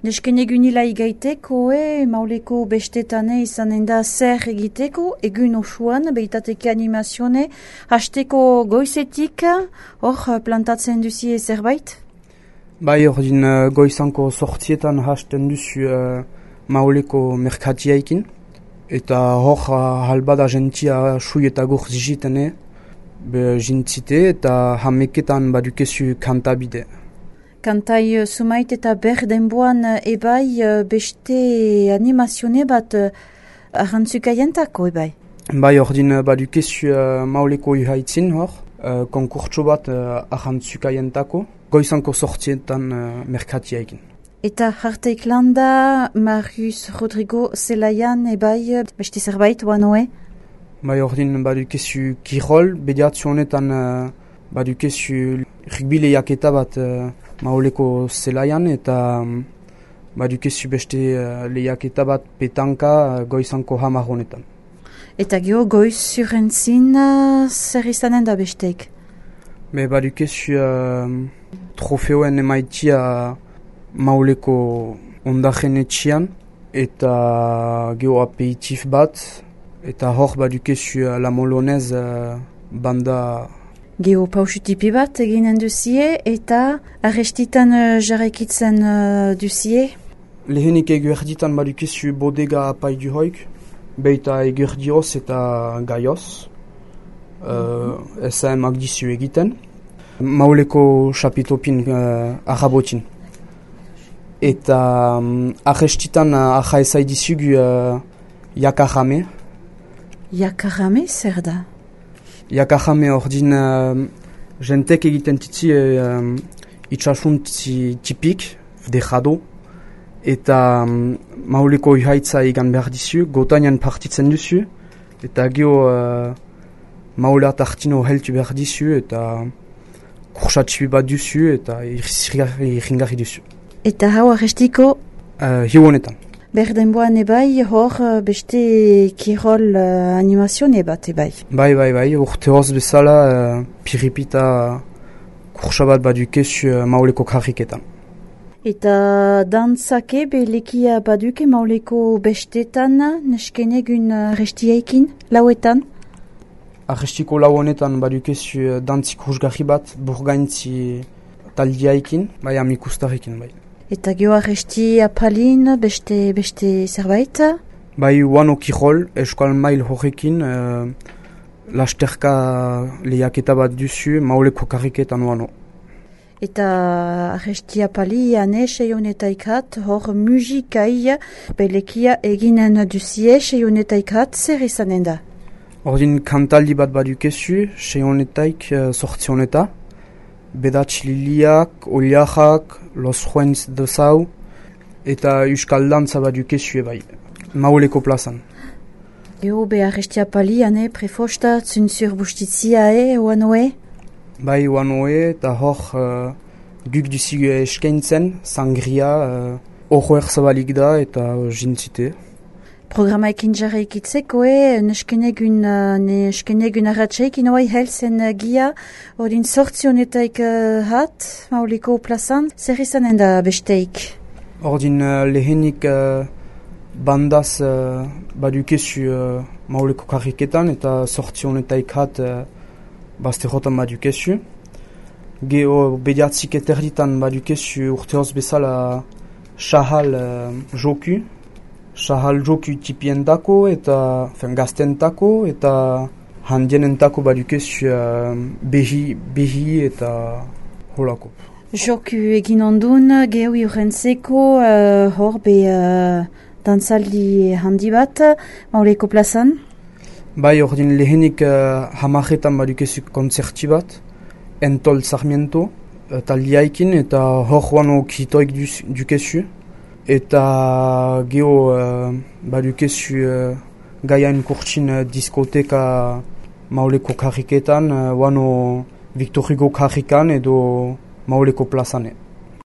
Nesken egunila igaiteko, mauleko bestetane izanen da zer egiteko, egun osuan, behitateke animazione, hasteko goizetik, hor plantatzen duzie zerbait? Bai, ordin goizanko sortzietan hasten duzu mauleko merkatiaikin, eta hor halbada gentia sui eta gur zizitene, jintzite eta hameketan badukezu kantabide. Kantai sumait eta berdenboan ebai beste animazione bat ahantzukaientako ebai? Bai, ordin badukezu mauleko uhaitzin hor, konkurtso bat ahantzukaientako, goizanko sortzietan merkatiaikin. Eta harteik landa, Marius Rodrigo Zelaian ebai beste zerbait oanoe? Bai, ordin badukezu kirol, bediatzu honetan badukezu rugby lehiaketa bat mauleko zelaian, eta badukezu beste lehiaketa bat petanka goizanko hamar honetan. Eta geho goiz zurentzin zer izanen da besteik? Badukezu trofeoen emaitia mauleko ondajen etxian, eta geho aperitif bat, eta hor badukezu la molonez banda. Geho pausutipi bat eginen duzie, eta arrestitan jarraikitzen duzie? Lehenik eguerditan badukezu bodega apaidu hoik, beita eguerdioz eta gaioz, SMak dizu egiten, mauleko chapitopin arabotin. Eta arrestitan ahaezai dizugu Yakarame. Yakarame zer da? Yakarame ordin jentek egiten titzi itxasunt tipik, dejado, eta mauleko uhaitza egan behar dizu, gotainan partitzen duzu, eta geho maulat hartino heltu behar dizu, eta kursatxibi bat duzu, eta irringarri duzu. Eta hau arrestiko? Hiu honetan. Berdenboan ebai, hor beste kirol animazione bat ebai? Bai, urte hoz bezala piripita kursabat badukezu mauleko karriketan. Eta dantzake belekia baduke mauleko bestetan nesken egun arrestiaikin, lauetan? Arrestiko lau honetan badukezu dantzi kursgarri bat burgaintzi taldiaikin, bai amikustarekin bai. Eta geho arresti apalin beste zerbait? Bai, uano kirol, eskual mail horrekin, lasterka lehiaketa bat duzu, mauleko karriketan uano. Eta arresti apali ane seionetaikat, hor musikai belekia eginen duzie seionetaikat, zer izanen da? Ordin kantaldi bat badukezu, seionetaik sortzioneta, bedatx liliak, oliajak, los juenz de zau, eta euskal dantza badukezu ebai, mauleko plazan. Geho be arresti apali ane prefosta zunzur bustitzia oanoe? Bai, oanoe, eta hor guk duzigu eskaintzen, sangria, horroer zabalik da, eta jintzite. Programa ekin jarraikitzeko, nesken egun arratxeik inoai helzen gia, ordin sortzionetaik hat, mauliko plazan, zer izanen da besteik? Ordin lehenik bandaz badukezu mauliko karriketan, eta sortzionetaik hat bazterrotan badukezu. Geho bediatzik eterditan badukezu urteoz bezala Shahal joku. Shahal joku tipientako eta gaztentako eta handienentako badukezu behi eta holako. Joku egin ondun, geho iurentzeko hor be dantzaldi handi bat, mauleko plazan? Bai, ordin lehenik hamaretan badukezu konzerti bat, Entol Sarmiento, taldiaikin, eta hor wano kitoik dukezu. Eta geho badukezu gaiain kurtsin diskoteka mauleko karriketan, wano Victor Hugo karrikan edo mauleko plazane.